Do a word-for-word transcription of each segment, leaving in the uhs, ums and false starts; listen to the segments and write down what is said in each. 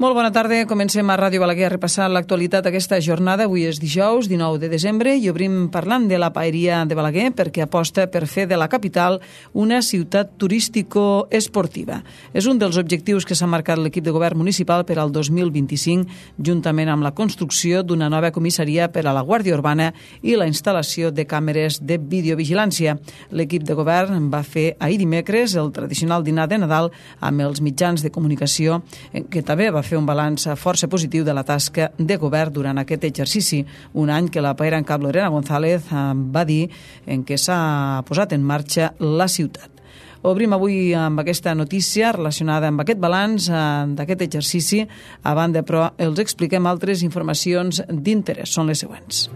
Molt bona tarda, comencem a Ràdio Balaguer a repassar l'actualitat aquesta jornada. Avui és dijous, dinou de desembre, i obrim parlant de la paeria de Balaguer perquè aposta per fer de la capital una ciutat turístico-esportiva. És un dels objectius que s'ha marcat l'equip de govern municipal per al dos mil vint-i-cinc, juntament amb la construcció d'una nova comissaria per a la Guàrdia Urbana i la instal·lació de càmeres de videovigilància. L'equip de govern va fer ahir dimecres el tradicional dinar de Nadal amb els mitjans de comunicació, que també va fer fer un balanç força positiu de la tasca de govern durant aquest exercici, un any que la paera en cap Lorena González va dir en què s'ha posat en marxa la ciutat. Obrim avui amb aquesta notícia relacionada amb aquest balanç d'aquest exercici. A banda, però, els expliquem altres informacions d'interès. Són les següents.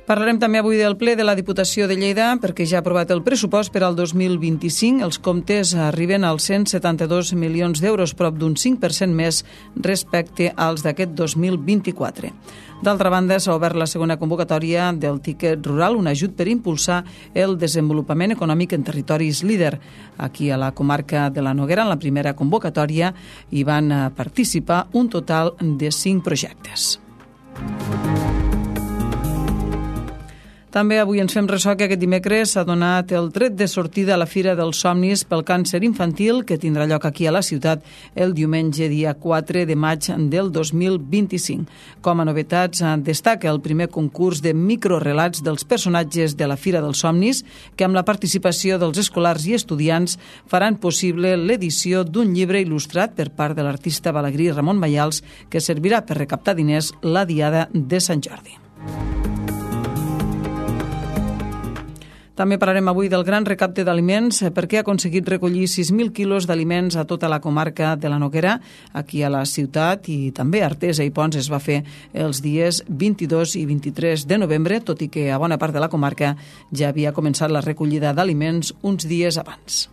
Parlarem també avui del ple de la Diputació de Lleida perquè ja ha aprovat el pressupost per al dos mil vint-i-cinc. Els comptes arriben als cent setanta-dos milions d'euros, prop d'un cinc per cent més respecte als d'aquest dos mil vint-i-quatre. D'altra banda, s'ha obert la segona convocatòria del Tiquet Rural, un ajut per impulsar el desenvolupament econòmic en territoris líder. Aquí a la comarca de la Noguera, en la primera convocatòria, hi van participar un total de cinc projectes. També avui ens fem ressò que aquest dimecres s'ha donat el tret de sortida a la Fira dels Somnis pel Càncer Infantil, que tindrà lloc aquí a la ciutat el diumenge dia quatre de maig del dos mil vint-i-cinc. Com a novetats, destaca el primer concurs de microrelats dels personatges de la Fira dels Somnis, que amb la participació dels escolars i estudiants faran possible l'edició d'un llibre il·lustrat per part de l'artista balagrí Ramon Mayals, que servirà per recaptar diners la Diada de Sant Jordi. També parlarem avui del gran recapte d'aliments perquè ha aconseguit recollir sis mil quilos d'aliments a tota la comarca de la Noguera, aquí a la ciutat, i també a Artesa i Ponts es va fer els dies vint-i-dos i vint-i-tres de novembre, tot i que a bona part de la comarca ja havia començat la recollida d'aliments uns dies abans.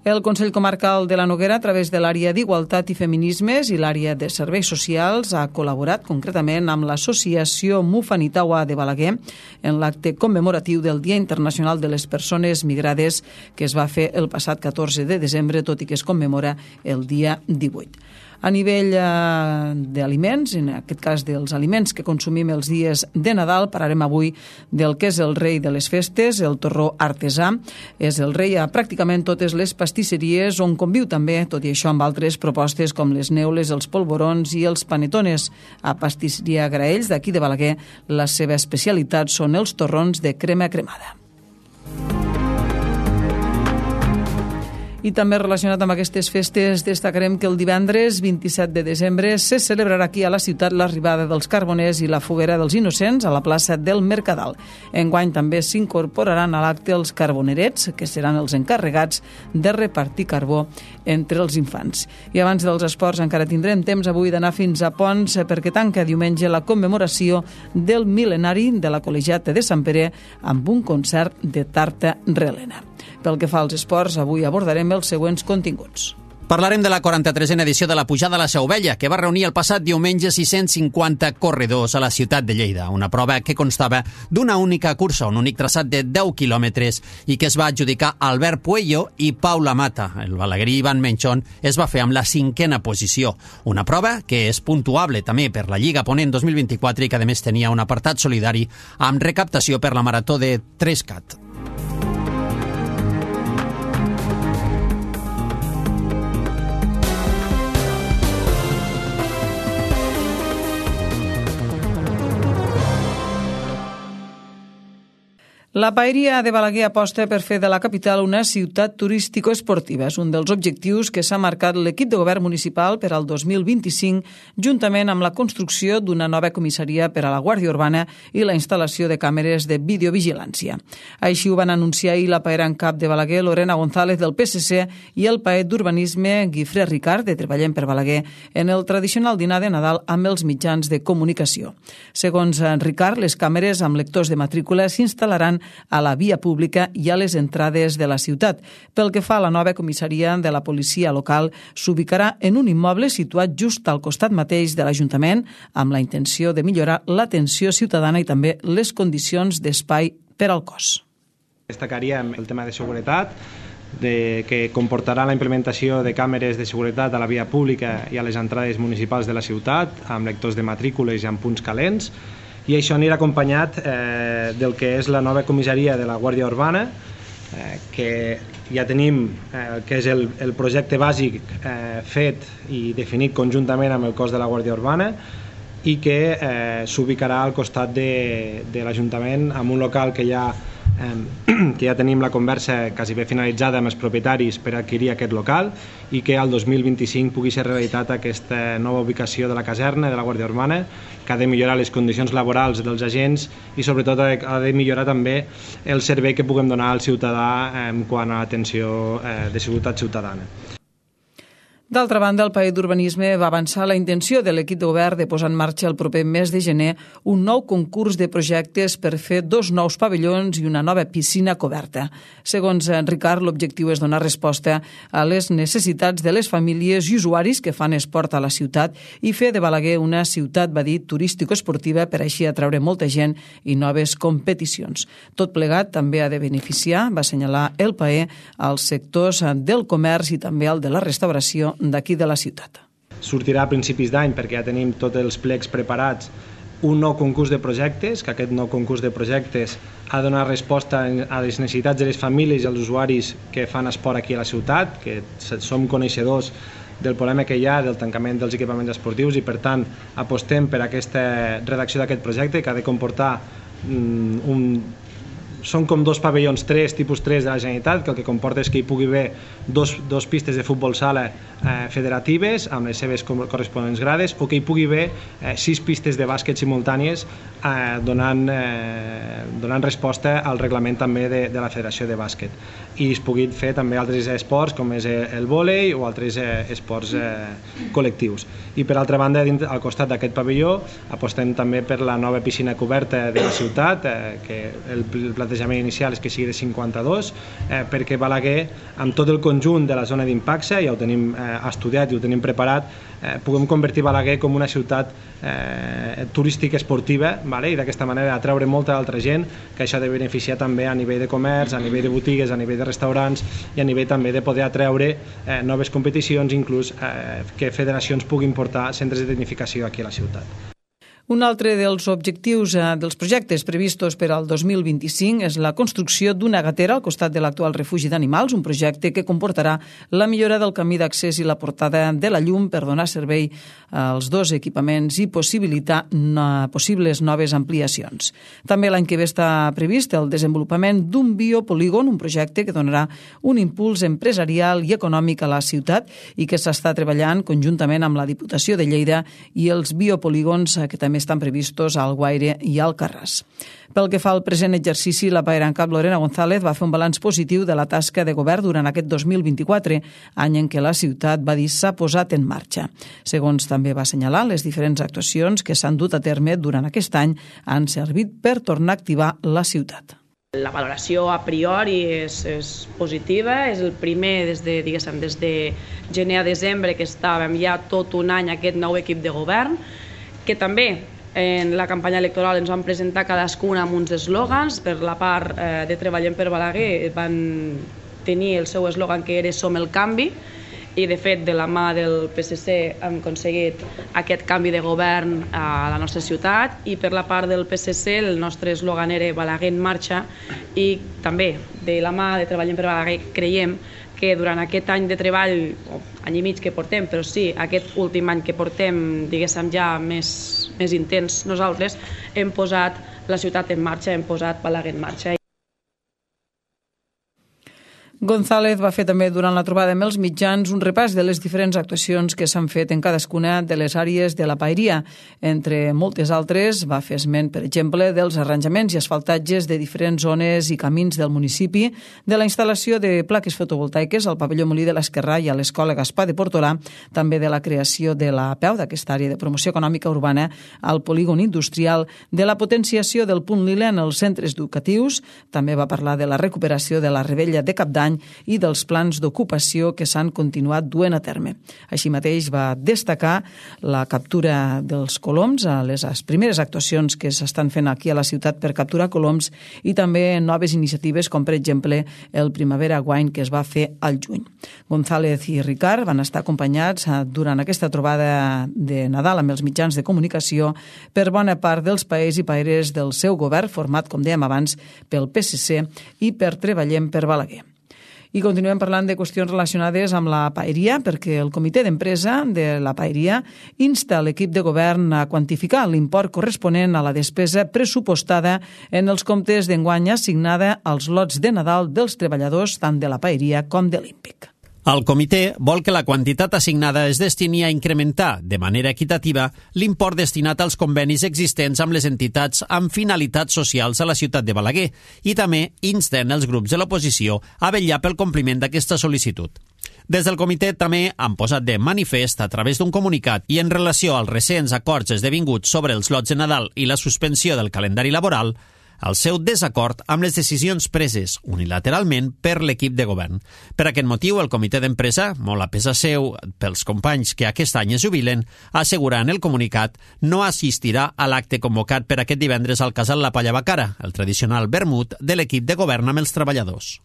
El Consell Comarcal de la Noguera, a través de l'àrea d'Igualtat i Feminismes i l'àrea de Serveis Socials, ha col·laborat concretament amb l'Associació Mufanitawa de Balaguer en l'acte commemoratiu del Dia Internacional de les Persones Migrades que es va fer el passat catorze de desembre, tot i que es commemora el dia divuit. A nivell eh, d'aliments, en aquest cas dels aliments que consumim els dies de Nadal, parlarem avui del que és el rei de les festes, el torró artesà. És el rei a pràcticament totes les pastisseries, on conviu també, tot i això, amb altres propostes com les neules, els polvorons i els panetones. A Pastisseria Graells, d'aquí de Balaguer, la seva especialitat són els torrons de crema cremada. I també relacionat amb aquestes festes destacarem que el divendres vint-i-set de desembre se celebrarà aquí a la ciutat l'arribada dels carboners i la foguera dels innocents a la plaça del Mercadal. Enguany també s'incorporaran a l'acte els carbonerets, que seran els encarregats de repartir carbó entre els infants. I abans dels esports encara tindrem temps avui d'anar fins a Ponts perquè tanca diumenge la commemoració del mil·lenari de la Col·legiata de Sant Pere amb un concert de tarta relena. Pel que fa als esports, avui abordarem els següents continguts. Parlarem de la quaranta-tresena edició de la Pujada a la Seu Vella, que va reunir el passat diumenge sis-cents cinquanta corredors a la ciutat de Lleida. Una prova que constava d'una única cursa, un únic traçat de deu quilòmetres i que es va adjudicar Albert Puello i Paula Mata. El balaguerí Ivan Menchón es va fer amb la cinquena posició. Una prova que és puntuable també per la Lliga Ponent dos mil vint-i-quatre i que a més tenia un apartat solidari amb recaptació per la Marató de Trescat. La paeria de Balaguer aposta per fer de la capital una ciutat turístico-esportiva. És un dels objectius que s'ha marcat l'equip de govern municipal per al dos mil vint-i-cinc, juntament amb la construcció d'una nova comissaria per a la Guàrdia Urbana i la instal·lació de càmeres de videovigilància. Així ho van anunciar ahir la paera en cap de Balaguer, Lorena González, del P S C, i el paet d'Urbanisme, Guifré Ricard, de Treballem per Balaguer, en el tradicional dinar de Nadal amb els mitjans de comunicació. Segons Ricard, les càmeres amb lectors de matrícula s'instal·laran a la via pública i a les entrades de la ciutat. Pel que fa a la nova comissaria de la policia local, s'ubicarà en un immoble situat just al costat mateix de l'Ajuntament, amb la intenció de millorar l'atenció ciutadana i també les condicions d'espai per al cos. Destacaríem el tema de seguretat, de, que comportarà la implementació de càmeres de seguretat a la via pública i a les entrades municipals de la ciutat, amb lectors de matrícules i amb punts calents, i això anirà acompanyat eh, del que és la nova comissaria de la Guàrdia Urbana, eh, que ja tenim, eh, que és el, el projecte bàsic eh, fet i definit conjuntament amb el cos de la Guàrdia Urbana, i que eh, s'ubicarà al costat de, de l'Ajuntament, amb un local que ja que ja tenim la conversa quasi bé finalitzada amb els propietaris per adquirir aquest local i que al dos mil vint-i-cinc pugui ser realitat aquesta nova ubicació de la caserna de la Guàrdia Urbana, que ha de millorar les condicions laborals dels agents i sobretot ha de millorar també el servei que puguem donar al ciutadà en quant a l'atenció de seguretat ciutadana. D'altra banda, el Paer d'Urbanisme va avançar la intenció de l'equip de govern de posar en marxa el proper mes de gener un nou concurs de projectes per fer dos nous pavellons i una nova piscina coberta. Segons Ricard, l'objectiu és donar resposta a les necessitats de les famílies i usuaris que fan esport a la ciutat i fer de Balaguer una ciutat, va dir, turístico-esportiva per així atraure molta gent i noves competicions. Tot plegat també ha de beneficiar, va assenyalar el Paer, als sectors del comerç i també al de la restauració d'aquí de la ciutat. Sortirà a principis d'any perquè ja tenim tots els plecs preparats un nou concurs de projectes, que aquest nou concurs de projectes ha de donar resposta a les necessitats de les famílies i als usuaris que fan esport aquí a la ciutat, que som coneixedors del problema que hi ha del tancament dels equipaments esportius i per tant apostem per aquesta redacció d'aquest projecte que ha de comportar um, un són com dos pavellons tres, tipus tres de la Generalitat, que el que comporta és que hi pugui haver dos, dos pistes de futbol sala eh, federatives amb les seves corresponents grades o que hi pugui haver eh, sis pistes de bàsquet simultànies eh, donant, eh, donant resposta al reglament també de, de la Federació de Bàsquet. I es pugui fer també altres esports com és el vòlei o altres eh, esports eh, col·lectius. I per altra banda, al costat d'aquest pavelló apostem també per la nova piscina coberta de la ciutat, eh, que el plantejament inicial és que sigui de cinquanta-dos, eh, perquè Balaguer, amb tot el conjunt de la zona d'impacte, ja ho tenim eh, estudiat i ho tenim preparat, eh, puguem convertir Balaguer com una ciutat eh, turística esportiva, vale? I d'aquesta manera atraure molta altra gent, que això ha de beneficiar també a nivell de comerç, a nivell de botigues, a nivell de restaurants i a nivell també de poder atraure eh, noves competicions, inclús eh, que federacions puguin portar centres de tecnificació aquí a la ciutat. Un altre dels objectius eh, dels projectes previstos per al dos mil vint-i-cinc és la construcció d'una gatera al costat de l'actual refugi d'animals, un projecte que comportarà la millora del camí d'accés i la portada de la llum per donar servei als dos equipaments i possibilitar no, possibles noves ampliacions. També l'any que ve està previst el desenvolupament d'un biopolígon, un projecte que donarà un impuls empresarial i econòmic a la ciutat i que s'està treballant conjuntament amb la Diputació de Lleida i els biopolígons que també estan previstos al Guaire i al Carràs. Pel que fa al present exercici, la paera en cap Lorena González va fer un balanç positiu de la tasca de govern durant aquest dos mil vint-i-quatre, any en què la ciutat, va dir, s'ha posat en marxa. Segons també va assenyalar, les diferents actuacions que s'han dut a terme durant aquest any han servit per tornar a activar la ciutat. La valoració a priori és, és positiva, és el primer des de, diguéssim, des de gener a desembre que estàvem ja tot un any aquest nou equip de govern, que també en la campanya electoral ens van presentar cadascuna amb uns eslògans. Per la part eh, de Treballem per Balaguer van tenir el seu eslògan que era Som el canvi, i de fet de la mà del P S C hem aconseguit aquest canvi de govern a la nostra ciutat, i per la part del P S C el nostre eslògan era Balaguer en marxa, i també de la mà de Treballem per Balaguer creiem que durant aquest any de treball, o any i mig que portem, però sí, aquest últim any que portem, diguéssim, ja més, més intens nosaltres, hem posat la ciutat en marxa, hem posat Balaguer en marxa. González va fer també durant la trobada amb els mitjans un repàs de les diferents actuacions que s'han fet en cadascuna de les àrees de la paeria. Entre moltes altres va fer esment, per exemple, dels arranjaments i asfaltatges de diferents zones i camins del municipi, de la instal·lació de plaques fotovoltaiques al pavelló Molí de l'Esquerrà i a l'Escola Gaspar de Portolà, també de la creació de la P E U, d'aquesta àrea de promoció econòmica urbana, al polígon industrial, de la potenciació del punt lila en els centres educatius. També va parlar de la recuperació de la Rebella de Cap d'Any i dels plans d'ocupació que s'han continuat duent a terme. Així mateix va destacar la captura dels coloms, a les primeres actuacions que s'estan fent aquí a la ciutat per capturar coloms i també noves iniciatives com, per exemple, el Primavera Wine que es va fer al juny. González i Ricard van estar acompanyats durant aquesta trobada de Nadal amb els mitjans de comunicació per bona part dels paers i paeres del seu govern, format, com dèiem abans, pel P S C i per Treballem per Balaguer. I continuem parlant de qüestions relacionades amb la paeria, perquè el comitè d'empresa de la paeria insta l'equip de govern a quantificar l'import corresponent a la despesa pressupostada en els comptes d'enguany assignada als lots de Nadal dels treballadors tant de la paeria com de l'Hípic. El comitè vol que la quantitat assignada es destini a incrementar, de manera equitativa, l'import destinat als convenis existents amb les entitats amb finalitats socials a la ciutat de Balaguer i també insten els grups de l'oposició a vetllar pel compliment d'aquesta sol·licitud. Des del comitè també han posat de manifest a través d'un comunicat i en relació als recents acords esdevinguts sobre els lots de Nadal i la suspensió del calendari laboral el seu desacord amb les decisions preses unilateralment per l'equip de govern. Per aquest motiu, el comitè d'empresa, molt a pesar seu pels companys que aquest any es jubilen, assegura en el comunicat no assistirà a l'acte convocat per aquest divendres al Casal La Palla Bacara, el tradicional vermut de l'equip de govern amb els treballadors.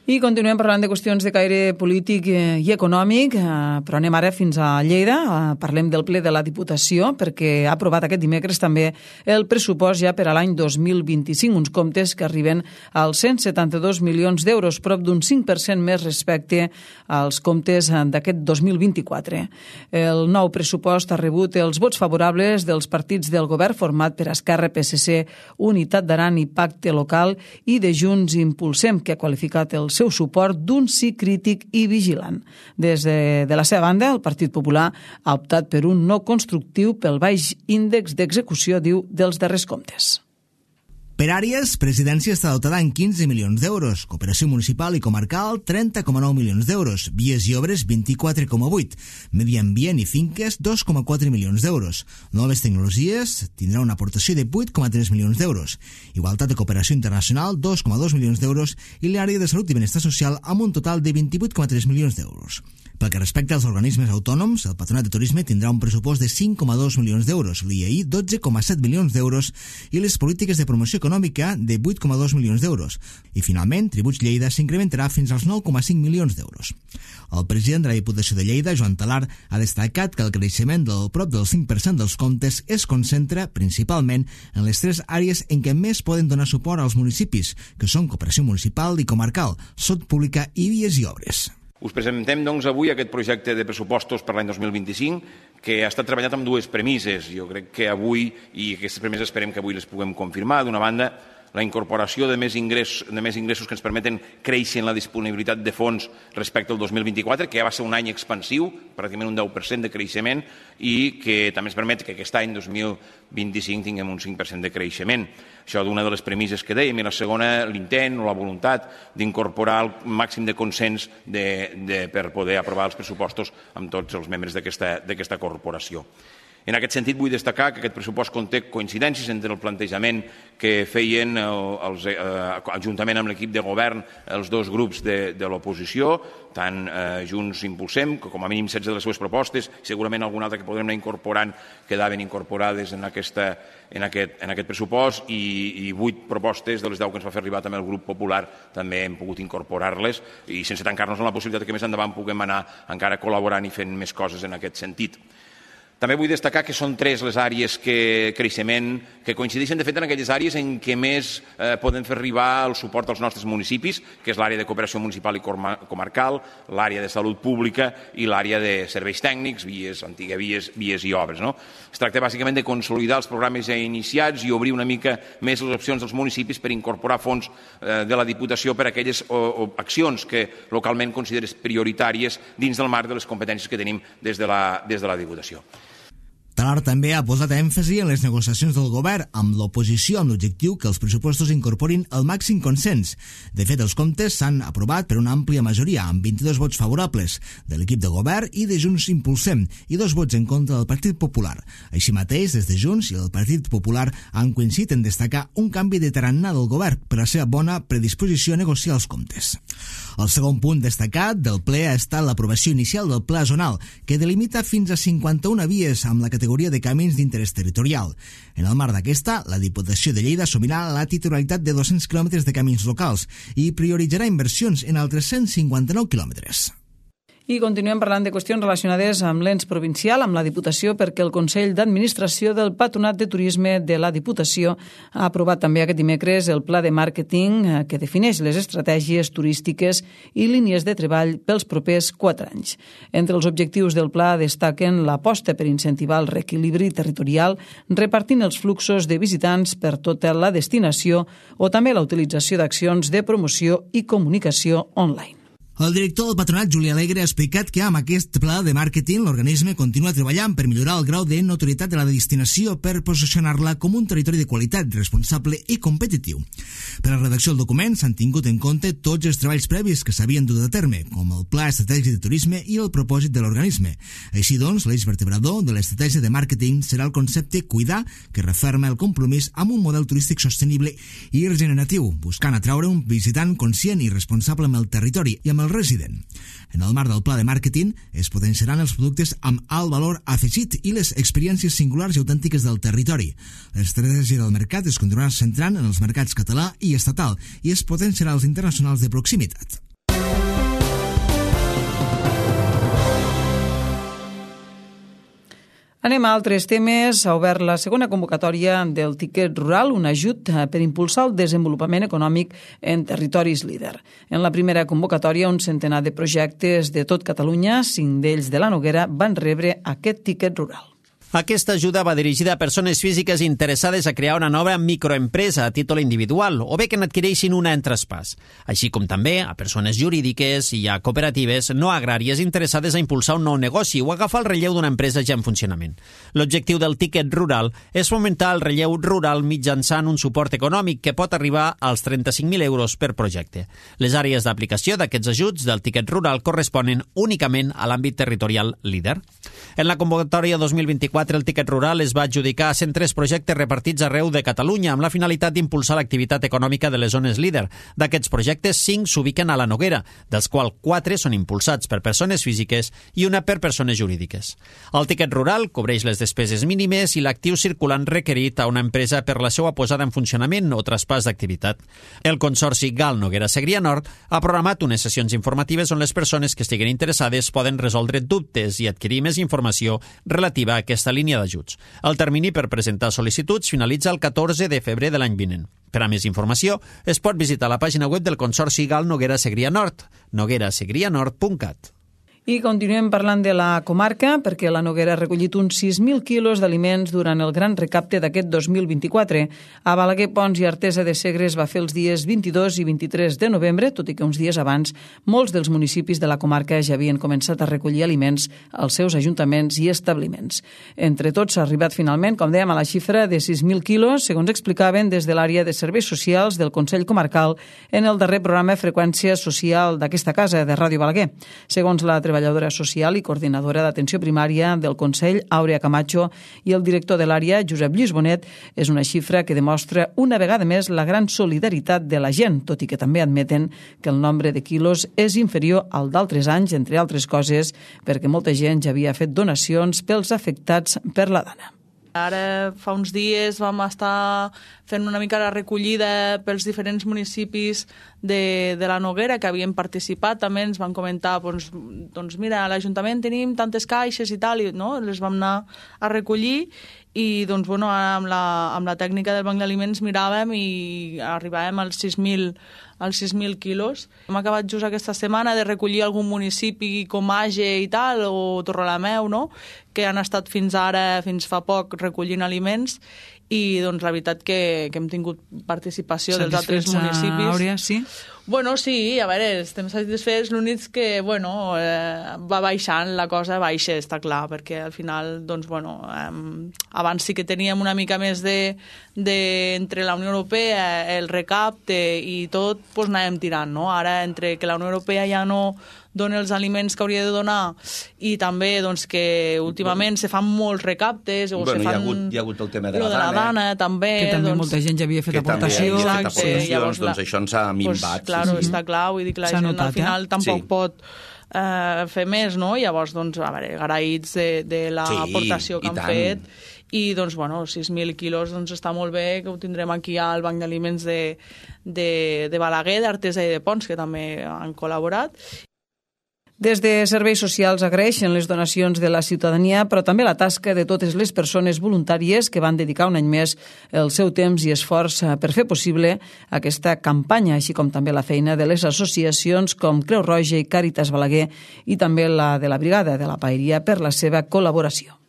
I continuem parlant de qüestions de caire polític i econòmic, però anem ara fins a Lleida. Parlem del ple de la Diputació, perquè ha aprovat aquest dimecres també el pressupost ja per a l'any dos mil vint-i-cinc, uns comptes que arriben als cent setanta-dos milions d'euros, prop d'un cinc per cent més respecte als comptes d'aquest dos mil vint-i-quatre. El nou pressupost ha rebut els vots favorables dels partits del govern format per Esquerra, P S C, Unitat d'Aran i Pacte Local i de Junts Impulsem, que ha qualificat el seu suport d'un sí crític i vigilant. Des de, de la seva banda, el Partit Popular ha optat per un no constructiu pel baix índex d'execució, diu, dels darrers comptes. Per àrees, Presidència està dotada en quinze milions d'euros, Cooperació Municipal i Comarcal trenta coma nou milions d'euros, Vies i Obres vint-i-quatre coma vuit, Medi Ambient i Finques dos coma quatre milions d'euros, Noves Tecnologies tindrà una aportació de vuit coma tres milions d'euros, Igualtat i Cooperació Internacional dos coma dos milions d'euros i l'àrea de Salut i Benestar Social amb un total de vint-i-vuit coma tres milions d'euros. Pel que respecta als organismes autònoms, el Patronat de Turisme tindrà un pressupost de cinc coma dos milions d'euros, l'I A I dotze coma set milions d'euros i les polítiques de promoció econòmica de vuit coma dos milions d'euros. I finalment, Tributs Lleida s'incrementarà fins als nou coma cinc milions d'euros. El president de la Diputació de Lleida, Joan Talar, ha destacat que el creixement del prop del cinc per cent dels comptes es concentra principalment en les tres àrees en què més poden donar suport als municipis, que són Cooperació Municipal i Comarcal, Salut Pública i Vies i Obres. Us presentem, doncs, avui aquest projecte de pressupostos per l'any dos mil vint-i-cinc que ha estat treballat amb dues premisses. Jo crec que avui, i aquestes premisses esperem que avui les puguem confirmar, d'una banda, la incorporació de més ingressos, de més ingressos que ens permeten créixer en la disponibilitat de fons respecte al dos mil vint-i-quatre, que ja va ser un any expansiu, pràcticament un deu per cent de creixement, i que també ens permet que aquest any, dos mil vint-i-cinc, tinguem un cinc per cent de creixement. Això d'una de les premisses que dèiem, i la segona, l'intent o la voluntat d'incorporar el màxim de consens de, de, per poder aprovar els pressupostos amb tots els membres d'aquesta corporació. En aquest sentit, vull destacar que aquest pressupost conté coincidències entre el plantejament que feien els, eh, juntament amb l'equip de govern els dos grups de, de l'oposició, tant eh, Junts Impulsem, que com a mínim setze de les seves propostes, segurament alguna altra que podrem anar incorporant, quedaven incorporades en, aquesta, en, aquest, en aquest pressupost, i, i vuit propostes de les deu que ens va fer arribar també el grup popular també hem pogut incorporar-les, i sense tancar-nos en la possibilitat que més endavant puguem anar encara col·laborant i fent més coses en aquest sentit. També vull destacar que són tres les àrees que creixement, que coincideixen de fet en aquelles àrees en què més eh, podem fer arribar el suport als nostres municipis, que és l'àrea de cooperació municipal i comarcal, l'àrea de salut pública i l'àrea de serveis tècnics, vies, antigues vies, vies i obres. No? Es tracta bàsicament de consolidar els programes ja iniciats i obrir una mica més les opcions dels municipis per incorporar fons eh, de la Diputació per a aquelles o, o accions que localment consideres prioritàries dins del marc de les competències que tenim des de la, des de la Diputació. Talar també ha posat èmfasi en les negociacions del govern amb l'oposició amb l'objectiu que els pressupostos incorporin el màxim consens. De fet, els comptes s'han aprovat per una àmplia majoria, amb vint-i-dos vots favorables de l'equip de govern i de Junts Impulsem i dos vots en contra del Partit Popular. Així mateix, des de Junts i el Partit Popular han coincidit en destacar un canvi de tarannà del govern per la seva bona predisposició a negociar els comptes. El segon punt destacat del ple ha estat l'aprovació inicial del Pla Zonal, que delimita fins a cinquanta-una vies amb la categoria de camins d'interès territorial. En el marc d'aquesta, la Diputació de Lleida assumirà la titularitat de dos-cents quilòmetres de camins locals i prioritzarà inversions en altres cent cinquanta-nou quilòmetres. I continuem parlant de qüestions relacionades amb l'ens provincial, amb la Diputació, perquè el Consell d'Administració del Patronat de Turisme de la Diputació ha aprovat també aquest dimecres el pla de màrqueting que defineix les estratègies turístiques i línies de treball pels propers quatre anys. Entre els objectius del pla destaquen l'aposta per incentivar el reequilibri territorial, repartint els fluxos de visitants per tota la destinació o també la utilització d'accions de promoció i comunicació online. El director del Patronat, Juli Alegre, ha explicat que amb aquest pla de màrqueting l'organisme continua treballant per millorar el grau de notorietat de la destinació per posicionar-la com un territori de qualitat, responsable i competitiu. Per a la redacció del document s'han tingut en compte tots els treballs previs que s'havien dut a terme, com el Pla Estratègic de Turisme i el propòsit de l'organisme. Així doncs, l'eix vertebrador de l'estratègia de màrqueting serà el concepte cuidar, que referma el compromís amb un model turístic sostenible i regeneratiu, buscant atraure un visitant conscient i responsable amb el territori i amb el resident. En el marc del pla de màrqueting es potenciaran els productes amb alt valor afegit i les experiències singulars i autèntiques del territori. L'estratègia del mercat es continuarà centrant en els mercats català i estatal i es potenciarà els internacionals de proximitat. Anem a altres temes. Ha obert la segona convocatòria del Tiquet Rural, un ajut per impulsar el desenvolupament econòmic en territoris líder. En la primera convocatòria, un centenar de projectes de tot Catalunya, cinc d'ells de la Noguera, van rebre aquest Tiquet Rural. Aquesta ajuda va dirigida a persones físiques interessades a crear una nova microempresa a títol individual o bé que n'adquireixin una en traspàs, així com també a persones jurídiques i a cooperatives no agràries interessades a impulsar un nou negoci o agafar el relleu d'una empresa ja en funcionament. L'objectiu del Tiquet Rural és fomentar el relleu rural mitjançant un suport econòmic que pot arribar als trenta-cinc mil euros per projecte. Les àrees d'aplicació d'aquests ajuts del Tiquet Rural corresponen únicament a l'àmbit territorial líder. En la convocatòria dos mil vint-i-quatre, el Tiquet Rural es va adjudicar a cent tres projectes repartits arreu de Catalunya amb la finalitat d'impulsar l'activitat econòmica de les zones líder. D'aquests projectes, cinc s'ubiquen a la Noguera, dels quals quatre són impulsats per persones físiques i una per persones jurídiques. El Tiquet Rural cobreix les despeses mínimes i l'actiu circulant requerit a una empresa per la seva posada en funcionament o traspàs d'activitat. El Consorci Gal Noguera Segrià Nord ha programat unes sessions informatives on les persones que estiguen interessades poden resoldre dubtes i adquirir més informació relativa a aquesta línia d'ajuts. El termini per presentar sol·licituds finalitza el catorze de febrer de l'any vinent. Per a més informació, es pot visitar la pàgina web del Consorci Gal Noguera Segrià Nord, noguera segrià nord punt cat. I continuem parlant de la comarca, perquè la Noguera ha recollit uns sis mil quilos d'aliments durant el gran recapte d'aquest dos mil vint-i-quatre. A Balaguer, Pons i Artesa de Segre es va fer els dies vint-i-dos i vint-i-tres de novembre, tot i que uns dies abans molts dels municipis de la comarca ja havien començat a recollir aliments als seus ajuntaments i establiments. Entre tots s'ha arribat finalment, com dèiem, a la xifra de sis mil quilos, segons explicaven des de l'àrea de serveis socials del Consell Comarcal en el darrer programa Freqüència Social d'aquesta casa, de Ràdio Balaguer. Segons la treballadora social i coordinadora d'atenció primària del Consell, Àurea Camacho, i el director de l'àrea, Josep Lluís Bonet, és una xifra que demostra una vegada més la gran solidaritat de la gent, tot i que també admeten que el nombre de quilos és inferior al d'altres anys, entre altres coses, perquè molta gent ja havia fet donacions pels afectats per la dana. Ara fa uns dies vam estar fent una mica la recollida pels diferents municipis de, de la Noguera que havien participat, també ens van comentar doncs, doncs mira, a l'Ajuntament tenim tantes caixes i tal, i, no? Les vam anar a recollir i doncs, bueno, amb, la, amb la tècnica del Banc d'Aliments miràvem i arribàvem als sis mil als sis mil quilos. Hem acabat just aquesta setmana de recollir algun municipi com Age i tal, o Torrelameu, no?, que han estat fins ara, fins fa poc, recollint aliments, i doncs la veritat que, que hem tingut participació dels altres municipis. Àurea, sí? Bueno, sí, a veure, estem satisfets, l'únic que, bueno, eh, va baixant, la cosa baixa, està clar, perquè al final, doncs, bueno, eh, abans sí que teníem una mica més de, de entre la Unió Europea, el recapte i tot, doncs anàvem tirant, no? Ara, entre que la Unió Europea ja no dona els aliments que hauria de donar i també doncs, que últimament se fan molts recaptes o bueno, se fan... Hi ha, hagut, hi ha hagut el tema de la, de la dana, dana, també. Que també doncs, molta gent ja havia fet aportacions. Fet Exacte, aportacions, llavors, doncs això ens ha minvat. Pues, claro, sí, sí. està clar, vull dir que la S'ha gent notat, al final eh? tampoc Sí. pot eh, fer més, no? Llavors, doncs, a veure, agraïts de, de l'aportació Sí, que i han tant. fet i, doncs, bueno, sis mil quilos doncs està molt bé, que ho tindrem aquí al Banc d'Aliments de, de, de Balaguer, d'Artesa i de Pons, que també han col·laborat. Des de Serveis Socials agraeixen les donacions de la ciutadania, però també la tasca de totes les persones voluntàries que van dedicar un any més el seu temps i esforç per fer possible aquesta campanya, així com també la feina de les associacions com Creu Roja i Càritas Balaguer i també la de la Brigada de la Paeria per la seva col·laboració.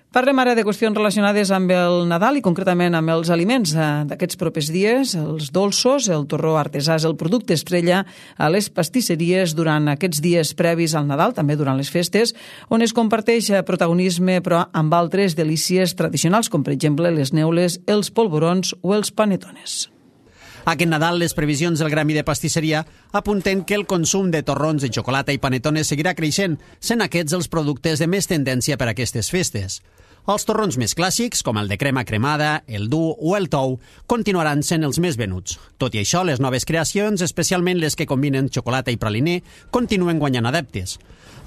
Parlem ara de qüestions relacionades amb el Nadal i concretament amb els aliments d'aquests propers dies, els dolços, el torró artesà és el producte estrella a les pastisseries durant aquests dies previs al Nadal, també durant les festes, on es comparteix protagonisme però amb altres delícies tradicionals, com per exemple les neules, els polvorons o els panetones. Aquest Nadal, les previsions del Gremi de Pastisseria apunten que el consum de torrons de xocolata i panetones seguirà creixent, sent aquests els productes de més tendència per a aquestes festes. Els torrons més clàssics, com el de crema cremada, el dur o el tou, continuaran sent els més venuts. Tot i això, les noves creacions, especialment les que combinen xocolata i praliner, continuen guanyant adeptes.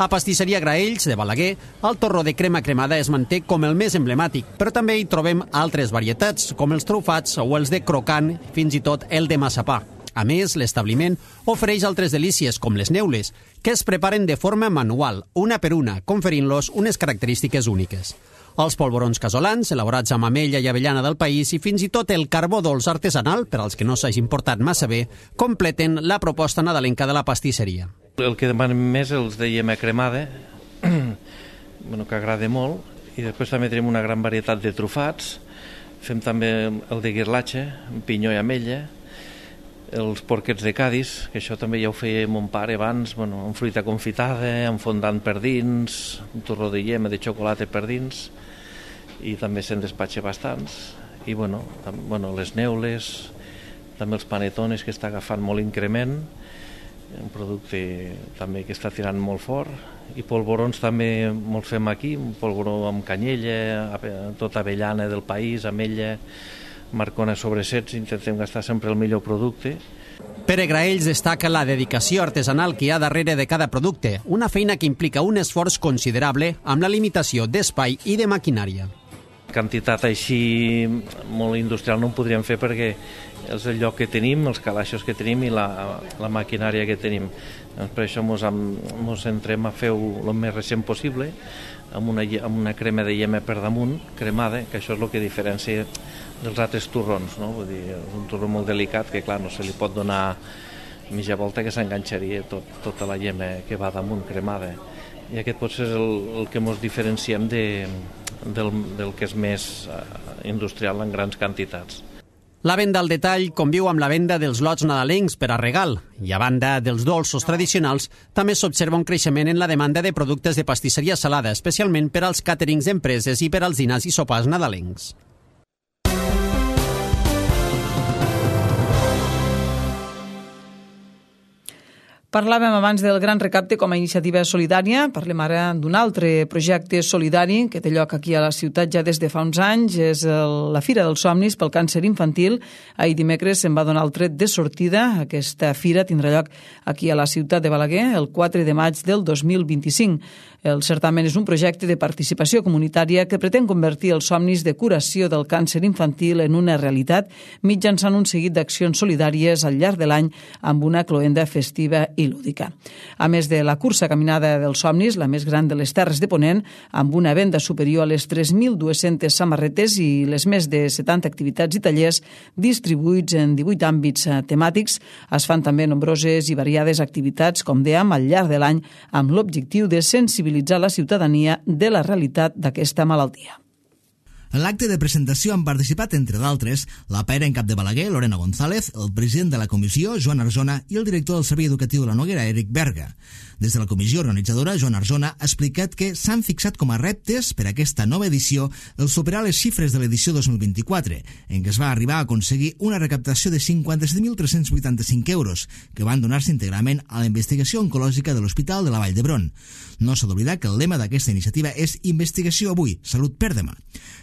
A Pastisseria Graells, de Balaguer, el torró de crema cremada es manté com el més emblemàtic, però també hi trobem altres varietats, com els trufats o els de crocant, fins i tot el de massapà. A més, l'establiment ofereix altres delícies, com les neules, que es preparen de forma manual, una per una, conferint-los unes característiques úniques. Els polvorons casolans, elaborats amb amella i avellana del país, i fins i tot el carbó dolç artesanal, per als que no s'hagin portat massa bé, completen la proposta nadalenca de la pastisseria. El que demanem més els de iema cremada, bueno, que agrada molt, i després també tenim una gran varietat de trufats, fem també el de guirlatge, amb pinyó i amella, els porquets de Cadis, que això també ja ho feia mon pare abans, bueno, amb fruita confitada, amb fondant per dins, un torró de iema de xocolata per dins, i també se'n despatxa bastants. I bueno, tam, bueno, les neules, també els panetones, que està agafant molt increment, un producte també que està tirant molt fort, i polvorons també molt fem aquí, un polvoró amb canyella, tota avellana del país, amella, marcona sobre sets, intentem gastar sempre el millor producte. Pere Graells destaca la dedicació artesanal que hi ha darrere de cada producte, una feina que implica un esforç considerable amb la limitació d'espai i de maquinària. Quantitat així molt industrial no en podríem fer perquè és el lloc que tenim, els calaixos que tenim i la, la maquinària que tenim. Doncs per això mos, mos entrem a fer-ho el més recent possible, amb una, amb una crema de iema per damunt, cremada, que això és el que diferencia dels altres torrons, no? Vull dir, és un torró molt delicat que, clar, no se li pot donar mitja volta que s'enganxaria tot, tota la iema que va damunt cremada. I aquest potser és el, el que ens diferenciem de, del, del que és més industrial en grans quantitats. La venda al detall conviu amb la venda dels lots nadalencs per a regal i, a banda dels dolços tradicionals, també s'observa un creixement en la demanda de productes de pastisseria salada, especialment per als càterings d'empreses i per als dinars i sopars nadalencs. Parlàvem abans del Gran Recapte com a iniciativa solidària. Parlem ara d'un altre projecte solidari que té lloc aquí a la ciutat ja des de fa uns anys. És el, la Fira dels Somnis pel Càncer Infantil. Ahir dimecres se'n va donar el tret de sortida. Aquesta fira tindrà lloc aquí a la ciutat de Balaguer el quatre de maig del dos mil vint-i-cinc. El certamen és un projecte de participació comunitària que pretén convertir els somnis de curació del càncer infantil en una realitat mitjançant un seguit d'accions solidàries al llarg de l'any amb una cloenda festiva i lúdica. A més de la cursa caminada dels somnis, la més gran de les Terres de Ponent, amb una venda superior a les tres mil dues-centes samarretes i les més de setanta activitats i tallers distribuïts en divuit àmbits temàtics, es fan també nombroses i variades activitats, com dèiem, al llarg de l'any, amb l'objectiu de sensibilitzar la ciutadania de la realitat d'aquesta malaltia. En l'acte de presentació han participat, entre d'altres, la paera en cap de Balaguer, Lorena González, el president de la comissió, Joan Arzona, i el director del Servei Educatiu de la Noguera, Eric Berga. Des de la comissió organitzadora, Joan Arzona ha explicat que s'han fixat com a reptes per a aquesta nova edició el superar les xifres de l'edició dos mil vint-i-quatre, en què es va arribar a aconseguir una recaptació de cinquanta-set mil tres-cents vuitanta-cinc euros, que van donar-se íntegrament a la investigació oncològica de l'Hospital de la Vall d'Hebron. No s'ha d'oblidar que el lema d'aquesta iniciativa és Investigació avui, salut per demà.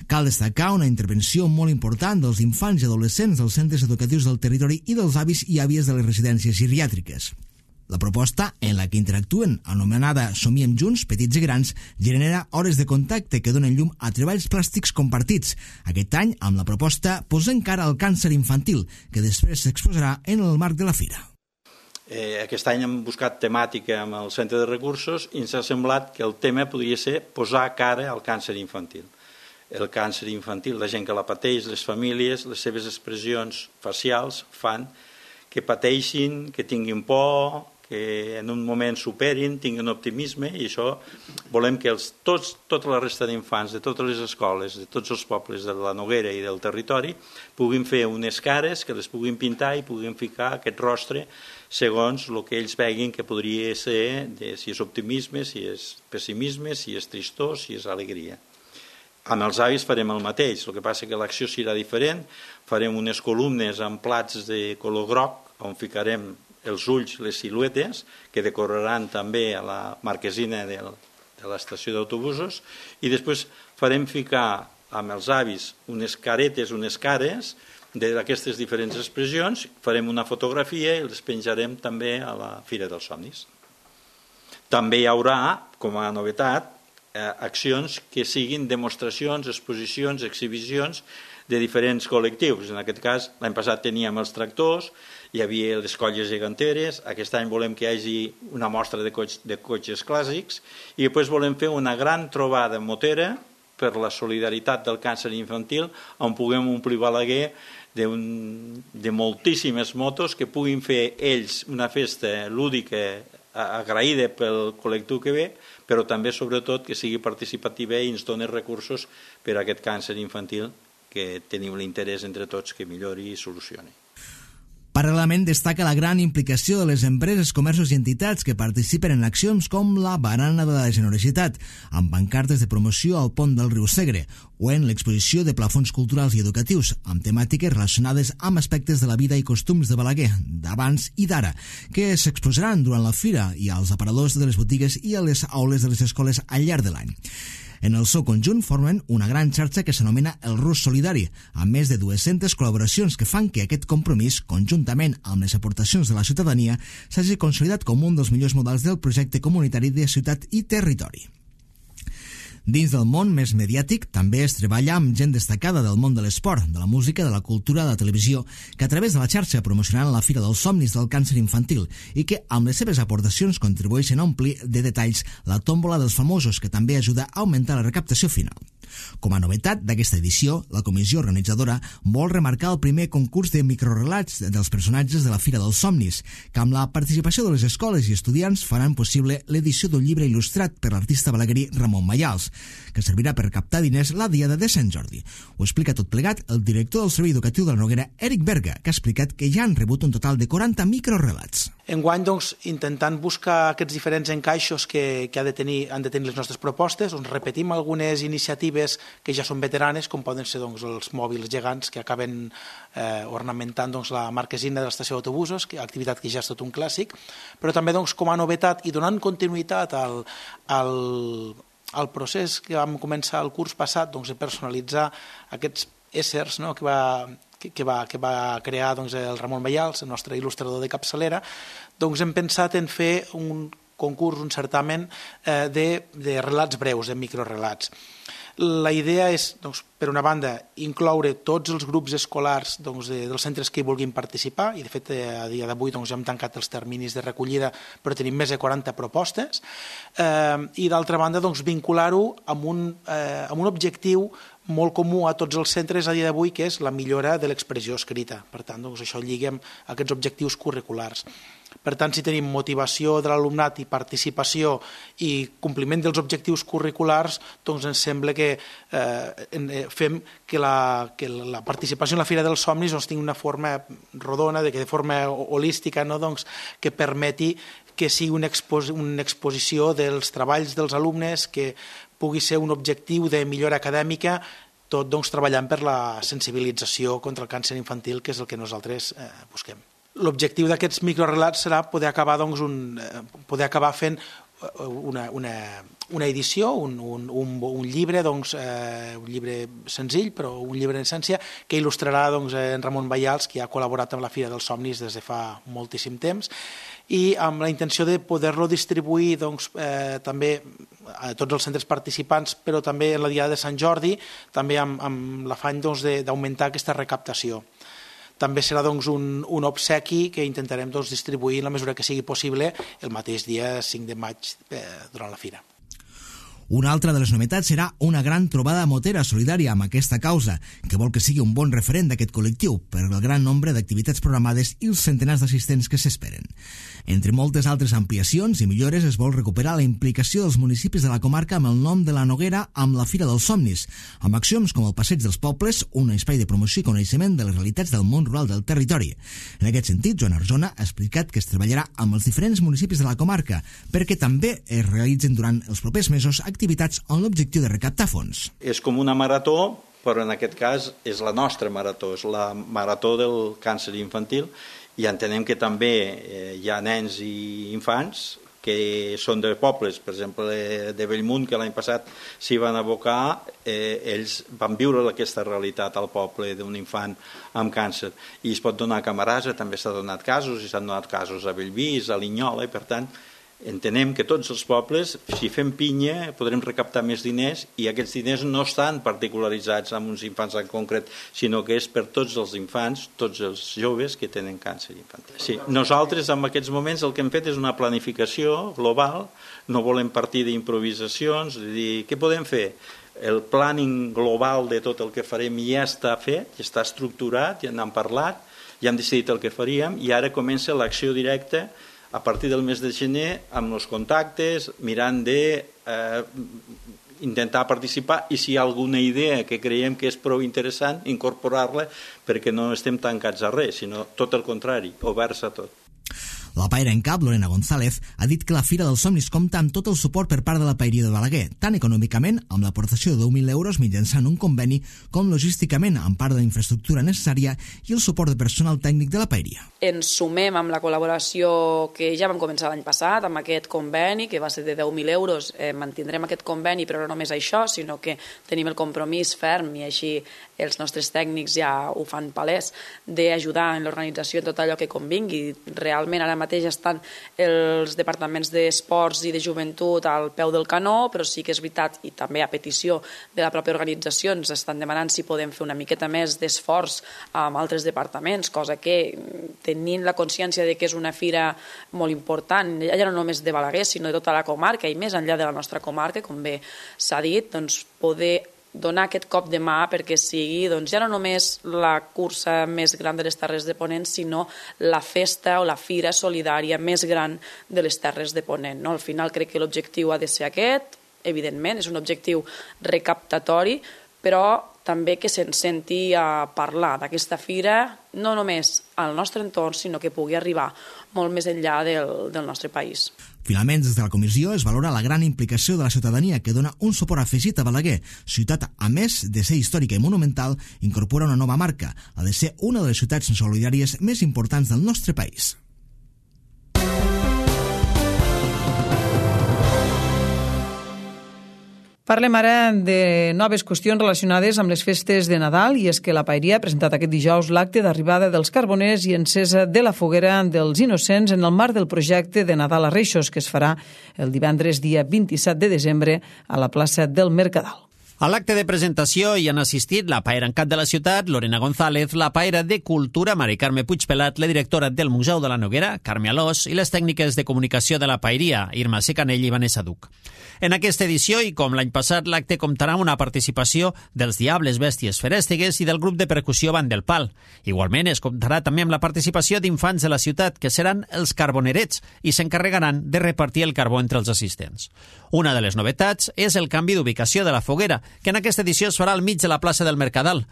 Cal destacar una intervenció molt important dels infants i adolescents dels centres educatius del territori i dels avis i àvies de les residències geriàtriques. La proposta, en la que interactuen, anomenada Somiem Junts, Petits i Grans, genera hores de contacte que donen llum a treballs plàstics compartits. Aquest any, amb la proposta Posem cara al càncer infantil, que després s'exposarà en el marc de la fira. Eh, aquest any hem buscat temàtica amb el Centre de Recursos i ens ha semblat que el tema podria ser posar cara al càncer infantil. El càncer infantil, la gent que la pateix, les famílies, les seves expressions facials fan que pateixin, que tinguin por, que en un moment superin, tinguin optimisme, i això volem que els, tots, tota la resta d'infants de totes les escoles, de tots els pobles de la Noguera i del territori, puguin fer unes cares, que les puguin pintar i puguin ficar aquest rostre segons el que ells veguin que podria ser, de, si és optimisme, si és pessimisme, si és tristor, si és alegria. Amb els avis farem el mateix, el que passa que l'acció serà diferent, farem unes columnes amb plats de color groc, on ficarem els ulls, les siluetes, que decoraran també a la marquesina del, de l'estació d'autobusos, i després farem ficar amb els avis unes caretes, unes cares, d'aquestes diferents expressions, farem una fotografia i les penjarem també a la Fira dels Somnis. També hi haurà, com a novetat, eh, accions que siguin demostracions, exposicions, exhibicions de diferents col·lectius. En aquest cas, l'any passat teníem els tractors, hi havia les colles geganteres, aquest any volem que hi hagi una mostra de, coix, de cotxes clàssics i després volem fer una gran trobada motera per la solidaritat del càncer infantil, on puguem omplir Balaguer de, un, de moltíssimes motos que puguin fer ells una festa lúdica agraïda pel col·lectiu que ve, però també, sobretot, que sigui participativa i ens doni recursos per a aquest càncer infantil que tenim l'interès entre tots que millori i solucioni. Paral·lelament destaca la gran implicació de les empreses, comerços i entitats que participen en accions com la Barana de la Generositat, amb pancartes de promoció al pont del riu Segre, o en l'exposició de plafons culturals i educatius, amb temàtiques relacionades amb aspectes de la vida i costums de Balaguer, d'abans i d'ara, que s'exposaran durant la fira i als aparadors de les botigues i a les aules de les escoles al llarg de l'any. En el seu conjunt formen una gran xarxa que s'anomena el Rus Solidari, amb més de dues-centes col·laboracions que fan que aquest compromís, conjuntament amb les aportacions de la ciutadania, s'hagi consolidat com un dels millors models del projecte comunitari de ciutat i territori. Dins del món més mediàtic també es treballa amb gent destacada del món de l'esport, de la música, de la cultura, de la televisió, que a través de la xarxa promocionaran la Fira dels Somnis del Càncer Infantil i que amb les seves aportacions contribueixen a omplir de detalls la tòmbola dels famosos, que també ajuda a augmentar la recaptació final. Com a novetat d'aquesta edició, la comissió organitzadora vol remarcar el primer concurs de microrelats dels personatges de la Fira dels Somnis, que amb la participació de les escoles i estudiants faran possible l'edició d'un llibre il·lustrat per l'artista balaguerí Ramon Mayals, que servirà per captar diners la Diada de Sant Jordi. Ho explica tot plegat el director del Servei Educatiu de la Noguera, Eric Berga, que ha explicat que ja han rebut un total de quaranta microrelats. Enguany, doncs, intentant buscar aquests diferents encaixos que, que ha de tenir, han de tenir les nostres propostes, doncs, repetim algunes iniciatives que ja són veteranes, com poden ser doncs, els mòbils gegants que acaben eh, ornamentant doncs, la marquesina de l'estació d'autobusos, activitat que ja és tot un clàssic, però també doncs, com a novetat i donant continuïtat al, al, al procés que vam començar el curs passat doncs, de personalitzar aquests éssers, no?, que va... Que, que, va, que va crear doncs, el Ramon Mayals, el nostre il·lustrador de capçalera, doncs hem pensat en fer un concurs, un certamen eh, de, de relats breus, de microrelats. La idea és, doncs, per una banda, incloure tots els grups escolars doncs, de, dels centres que hi vulguin participar, i de fet a dia d'avui doncs, ja hem tancat els terminis de recollida, però tenim més de quaranta propostes, eh, i d'altra banda doncs, vincular-ho amb, un, eh, amb un objectiu molt comú a tots els centres a dia d'avui, que és la millora de l'expressió escrita. Per tant, doncs, això lliga amb aquests objectius curriculars. Per tant, si tenim motivació de l'alumnat i participació i compliment dels objectius curriculars, doncs ens sembla que eh, fem que la, que la participació en la Fira dels Somnis doncs, tingui una forma rodona, de, que de forma holística, no? doncs, que permeti que sigui una, expos una exposició dels treballs dels alumnes, que pugui ser un objectiu de millora acadèmica, tot doncs, treballant per la sensibilització contra el càncer infantil, que és el que nosaltres eh, busquem. L'objectiu d'aquests microrelats serà poder acabar, doncs, un, poder acabar fent una, una, una edició, un, un, un, un llibre, doncs, eh, un llibre senzill, però un llibre en essència, que il·lustrarà doncs, en Ramon Mayals, que ha col·laborat amb la Fira dels Somnis des de fa moltíssim temps, i amb la intenció de poder-lo distribuir doncs, eh, també a tots els centres participants, però també en la Diada de Sant Jordi, també amb, amb l'afany doncs, d'augmentar aquesta recaptació. També serà doncs, un, un obsequi que intentarem doncs, distribuir en la mesura que sigui possible el mateix dia cinc de maig eh, durant la fira. Una altra de les novetats serà una gran trobada motera solidària amb aquesta causa, que vol que sigui un bon referent d'aquest col·lectiu per el gran nombre d'activitats programades i els centenars d'assistents que s'esperen. Entre moltes altres ampliacions i millores es vol recuperar la implicació dels municipis de la comarca amb el nom de la Noguera amb la Fira dels Somnis, amb accions com el Passeig dels Pobles, un espai de promoció i coneixement de les realitats del món rural del territori. En aquest sentit, Joan Arzona ha explicat que es treballarà amb els diferents municipis de la comarca perquè també es realitzen durant els propers mesos activitats amb l'objectiu de recaptar fons. És com una marató, però en aquest cas és la nostra marató, és la marató del càncer infantil, i entenem que també eh, hi ha nens i infants que són de pobles, per exemple de Bellmunt, que l'any passat s'hi van abocar, eh, ells van viure aquesta realitat al poble d'un infant amb càncer, i es pot donar a Camarasa, també s'ha donat casos, i s'han donat casos a Bellvís, a Linyola, i per tant entenem que tots els pobles, si fem pinya, podrem recaptar més diners, i aquests diners no estan particularitzats amb uns infants en concret, sinó que és per tots els infants, tots els joves que tenen càncer infantil. Sí, nosaltres en aquests moments el que hem fet és una planificació global, no volem partir d'improvisacions, de dir, què podem fer? El planning global de tot el que farem ja està fet, ja està estructurat, ja n'hem parlat, ja hem decidit el que faríem, i ara comença l'acció directa a partir del mes de gener, amb els contactes, mirant de eh, intentar participar, i si hi ha alguna idea que creiem que és prou interessant, incorporar-la, perquè no estem tancats a res, sinó tot el contrari, oberts a tot. La paira en cap, Lorena González, ha dit que la Fira dels Somnis compta amb tot el suport per part de la Paeria de Balaguer, tant econòmicament, amb l'aportació de deu mil euros mitjançant un conveni, com logísticament, amb part de la infraestructura necessària i el suport de personal tècnic de la Paeria. Ens sumem amb la col·laboració que ja vam començar l'any passat, amb aquest conveni, que va ser de deu mil euros. Eh, mantindrem aquest conveni, però no només això, sinó que tenim el compromís ferm, i així els nostres tècnics ja ho fan palès, d'ajudar en l'organització en tot allò que convingui. Realment ara mateix estan els departaments d'esports i de joventut al peu del canó, però sí que és veritat, i també a petició de la pròpia organització, ens estan demanant si podem fer una miqueta més d'esforç amb altres departaments, cosa que, tenint la consciència de que és una fira molt important, ja no només de Balaguer, sinó de tota la comarca, i més enllà de la nostra comarca, com bé s'ha dit, doncs poder donar aquest cop de mà perquè sigui doncs, ja no només la cursa més gran de les Terres de Ponent, sinó la festa o la fira solidària més gran de les Terres de Ponent. No? Al final crec que l'objectiu ha de ser aquest, evidentment, és un objectiu recaptatori, però també que se'n senti a parlar d'aquesta fira, no només al nostre entorn, sinó que pugui arribar molt més enllà del, del nostre país. Finalment, des de la comissió es valora la gran implicació de la ciutadania que dona un suport afegit a Balaguer. Ciutat, a més de ser històrica i monumental, incorpora una nova marca, la de ser una de les ciutats solidàries més importants del nostre país. Parlem ara de noves qüestions relacionades amb les festes de Nadal, i és que la Paeria ha presentat aquest dijous l'acte d'arribada dels carboners i encesa de la foguera dels Innocents en el marc del projecte de Nadal a Reixos, que es farà el divendres dia vint-i-set de desembre a la plaça del Mercadal. A l'acte de presentació hi han assistit la paera en cap de la ciutat, Lorena González, la paera de Cultura, Mari Carme Puigpelat, la directora del Museu de la Noguera, Carme Alós, i les tècniques de comunicació de la Paeria, Irma Secanell i Vanessa Duc. En aquesta edició, i com l'any passat, l'acte comptarà amb una participació dels Diables Bèsties Ferèstegues i del grup de percussió Band del Pal. Igualment, es comptarà també amb la participació d'infants de la ciutat, que seran els carbonerets i s'encarregaran de repartir el carbó entre els assistents. Una de les novetats és el canvi d'ubicació de la foguera, que en aquesta edició es farà al mig de la plaça del Mercadal.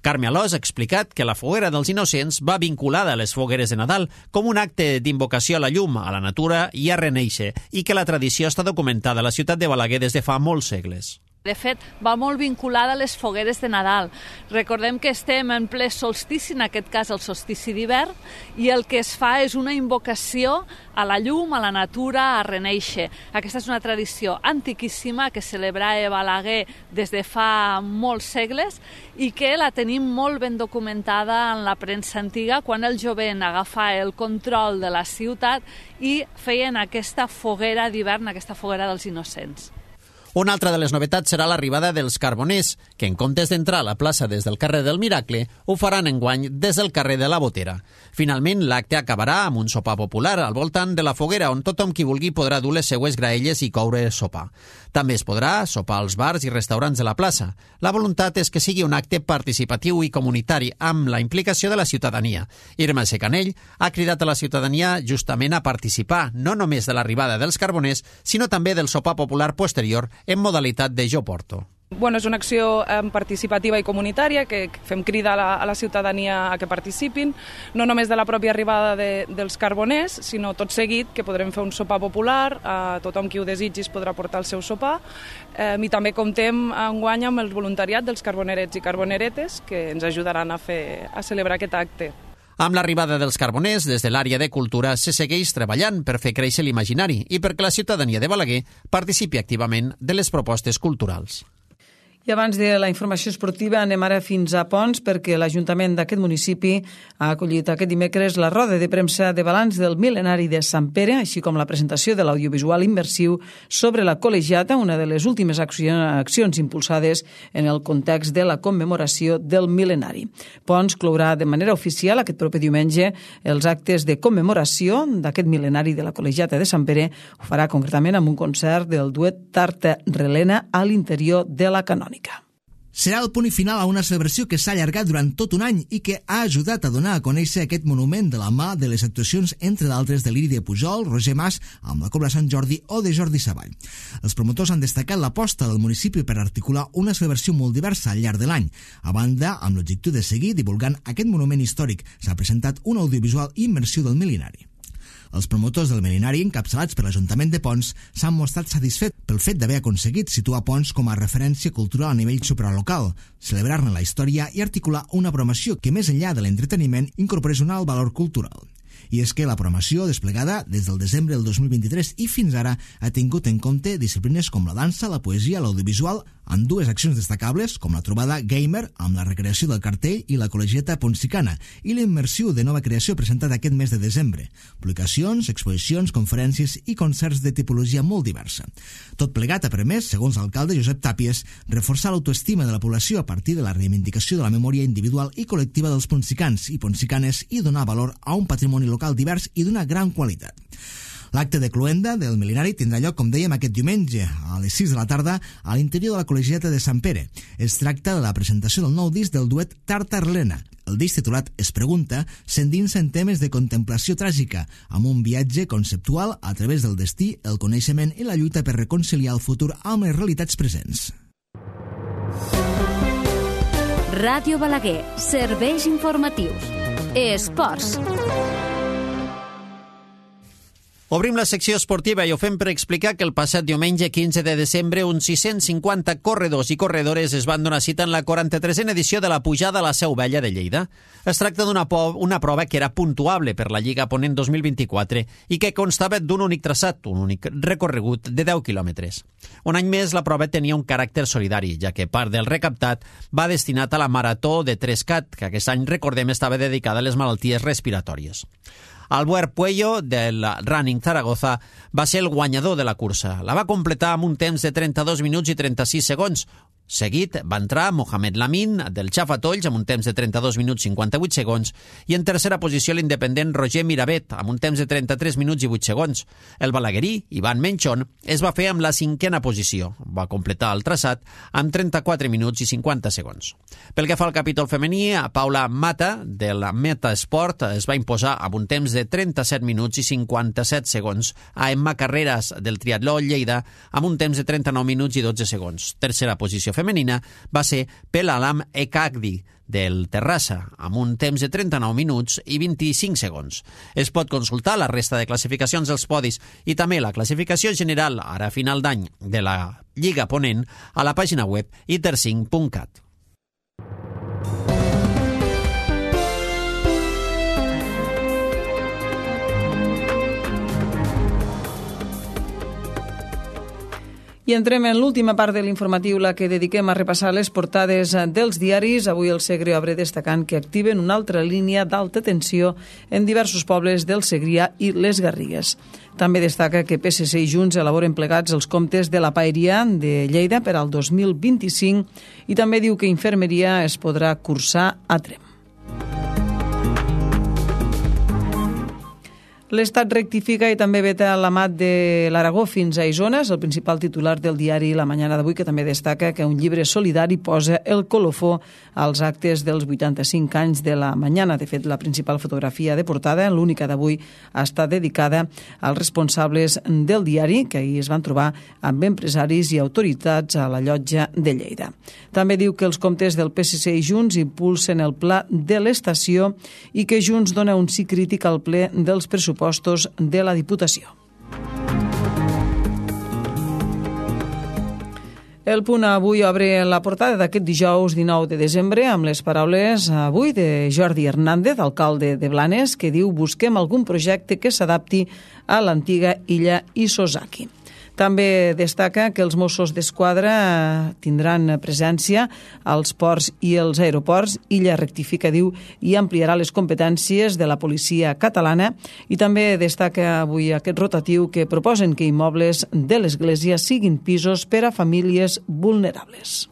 Carme Alós ha explicat que la foguera dels Innocents va vinculada a les fogueres de Nadal com un acte d'invocació a la llum, a la natura i a renéixer, i que la tradició està documentada a la ciutat de Balaguer des de fa molts segles. De fet, va molt vinculada a les fogueres de Nadal. Recordem que estem en ple solstici, en aquest cas el solstici d'hivern, i el que es fa és una invocació a la llum, a la natura, a renéixer. Aquesta és una tradició antiquíssima que celebrava Balaguer des de fa molts segles i que la tenim molt ben documentada en la premsa antiga, quan el jovent agafava el control de la ciutat i feien aquesta foguera d'hivern, aquesta foguera dels Innocents. Una altra de les novetats serà l'arribada dels carboners, que en comptes d'entrar a la plaça des del carrer del Miracle, ho faran enguany des del carrer de la Botera. Finalment, l'acte acabarà amb un sopar popular al voltant de la foguera, on tothom qui vulgui podrà dur les seues graelles i coure sopar. També es podrà sopar als bars i restaurants de la plaça. La voluntat és que sigui un acte participatiu i comunitari, amb la implicació de la ciutadania. Irma Secanell ha cridat a la ciutadania justament a participar, no només de l'arribada dels carboners, sinó també del sopar popular posterior, en modalitat de Jo Porto. Bueno, és una acció eh, participativa i comunitària que fem crida a la, a la ciutadania a que participin, no només de la pròpia arribada de, dels carboners, sinó tot seguit que podrem fer un sopar popular, eh, tothom qui ho desitgi podrà portar el seu sopar, eh, i també comptem enguany amb el voluntariat dels carbonerets i carboneretes que ens ajudaran a, fer, a celebrar aquest acte. Amb l'arribada dels carboners, des de l'àrea de cultura se segueix treballant per fer créixer l'imaginari i perquè la ciutadania de Balaguer participi activament de les propostes culturals. I abans de la informació esportiva anem ara fins a Pons, perquè l'Ajuntament d'aquest municipi ha acollit aquest dimecres la roda de premsa de balanç del mil·lenari de Sant Pere, així com la presentació de l'audiovisual immersiu sobre la col·legiata, una de les últimes accions impulsades en el context de la commemoració del mil·lenari. Pons clourà de manera oficial aquest proper diumenge els actes de commemoració d'aquest mil·lenari de la col·legiata de Sant Pere. Ho farà concretament amb un concert del duet Tarta-Relena a l'interior de la Canònica. Serà el punt i final a una celebració que s'ha allargat durant tot un any i que ha ajudat a donar a conèixer aquest monument de la mà de les actuacions, entre d'altres, de l'Iri de Pujol, Roger Mas, amb la Cobla Sant Jordi o de Jordi Savall. Els promotors han destacat l'aposta del municipi per articular una celebració molt diversa al llarg de l'any. A banda, amb l'objectiu de seguir divulgant aquest monument històric, s'ha presentat un audiovisual immersiu del mil·lenari. Els promotors del mil·lenari, encapçalats per l'Ajuntament de Pons, s'han mostrat satisfets pel fet d'haver aconseguit situar Pons com a referència cultural a nivell supralocal, celebrar-ne la història i articular una programació que, més enllà de l'entreteniment, incorporés un alt valor cultural. I és que la programació desplegada des del desembre del dos mil vint-i-tres i fins ara ha tingut en compte disciplines com la dansa, la poesia, l'audiovisual, amb dues accions destacables com la trobada gamer amb la recreació del cartell i la col·legiata ponsicana i l'immersiu de nova creació presentat aquest mes de desembre, publicacions, exposicions, conferències i concerts de tipologia molt diversa. Tot plegat ha permès, segons l'alcalde Josep Tàpies, reforçar l'autoestima de la població a partir de la reivindicació de la memòria individual i col·lectiva dels ponsicans i ponsicanes i donar valor a un patrimoni local divers i d'una gran qualitat. L'acte de cloenda del mil·lenari tindrà lloc, com dèiem, aquest diumenge a les sis de la tarda a l'interior de la col·legiata de Sant Pere. Es tracta de la presentació del nou disc del duet Tarta-Relena. El disc titulat Es pregunta s'endinsa en temes de contemplació tràgica, amb un viatge conceptual a través del destí, el coneixement i la lluita per reconciliar el futur amb les realitats presents. Ràdio Balaguer, serveis informatius. Esports. Obrim la secció esportiva i ho fem per explicar que el passat diumenge quinze de desembre uns sis-cents cinquanta corredors i corredores es van donar cita en la quaranta-tresena edició de la pujada a la Seu Vella de Lleida. Es tracta d'una una prova que era puntuable per la Lliga Ponent dos mil vint-i-quatre i que constava d'un únic traçat, un únic recorregut de deu quilòmetres. Un any més la prova tenia un caràcter solidari, ja que part del recaptat va destinat a la Marató de Trescat, que aquest any, recordem, estava dedicada a les malalties respiratòries. Albert Puello, del Running Zaragoza, va ser el guanyador de la cursa. La va completar amb un temps de trenta-dos minuts i trenta-sis segons. Seguit va entrar Mohamed Lamin, del Xafatolls, amb un temps de trenta-dos minuts i cinquanta-vuit segons, i en tercera posició l'independent Roger Miravet, amb un temps de trenta-tres minuts i vuit segons. El balaguerí, Ivan Menchon, es va fer amb la cinquena posició. Va completar el traçat amb trenta-quatre minuts i cinquanta segons. Pel que fa al capítol femení, Paula Mata, de la Meta Sport, es va imposar amb un temps de trenta-set minuts i cinquanta-set segons a Emma Carreras, del Triatló Lleida, amb un temps de trenta-nou minuts i dotze segons. Tercera posició femenina va ser Pelalam Ekagdi, del Terrassa, amb un temps de trenta-nou minuts i vint-i-cinc segons. Es pot consultar la resta de classificacions dels podis i també la classificació general, ara a final d'any, de la Lliga Ponent a la pàgina web i tercinc punt cat. I entrem en l'última part de l'informatiu, la que dediquem a repassar les portades dels diaris. Avui el Segre obre destacant que activen una altra línia d'alta tensió en diversos pobles del Segrià i les Garrigues. També destaca que P S C i Junts elaboren plegats els comptes de la paeria de Lleida per al dos mil vint-i-cinc i també diu que infermeria es podrà cursar a Tremp. L'Estat rectifica i també veta l'amat de l'Aragó fins a Isona, és el principal titular del diari La Mañana d'avui, que també destaca que un llibre solidari posa el colofó als actes dels vuitanta-cinc anys de La Mañana. De fet, la principal fotografia de portada, l'única d'avui, està dedicada als responsables del diari, que ahir es van trobar amb empresaris i autoritats a la llotja de Lleida. També diu que els comptes del P S C i Junts impulsen el pla de l'estació i que Junts dona un sí crític al ple dels pressupostos de la Diputació. El Punt avui obre la portada d'aquest dijous dinou de desembre amb les paraules avui de Jordi Hernández, alcalde de Blanes, que diu: busquem algun projecte que s'adapti a l'antiga illa Isozaki. També destaca que els Mossos d'Esquadra tindran presència als ports i els aeroports. Illa rectifica, diu, i ampliarà les competències de la policia catalana. I també destaca avui aquest rotatiu que proposen que immobles de l'Església siguin pisos per a famílies vulnerables.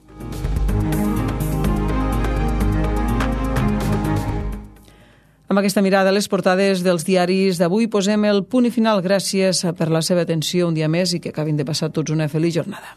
Amb aquesta mirada a les portades dels diaris d'avui posem el punt i final. Gràcies per la seva atenció un dia més i que acabin de passar tots una feliç jornada.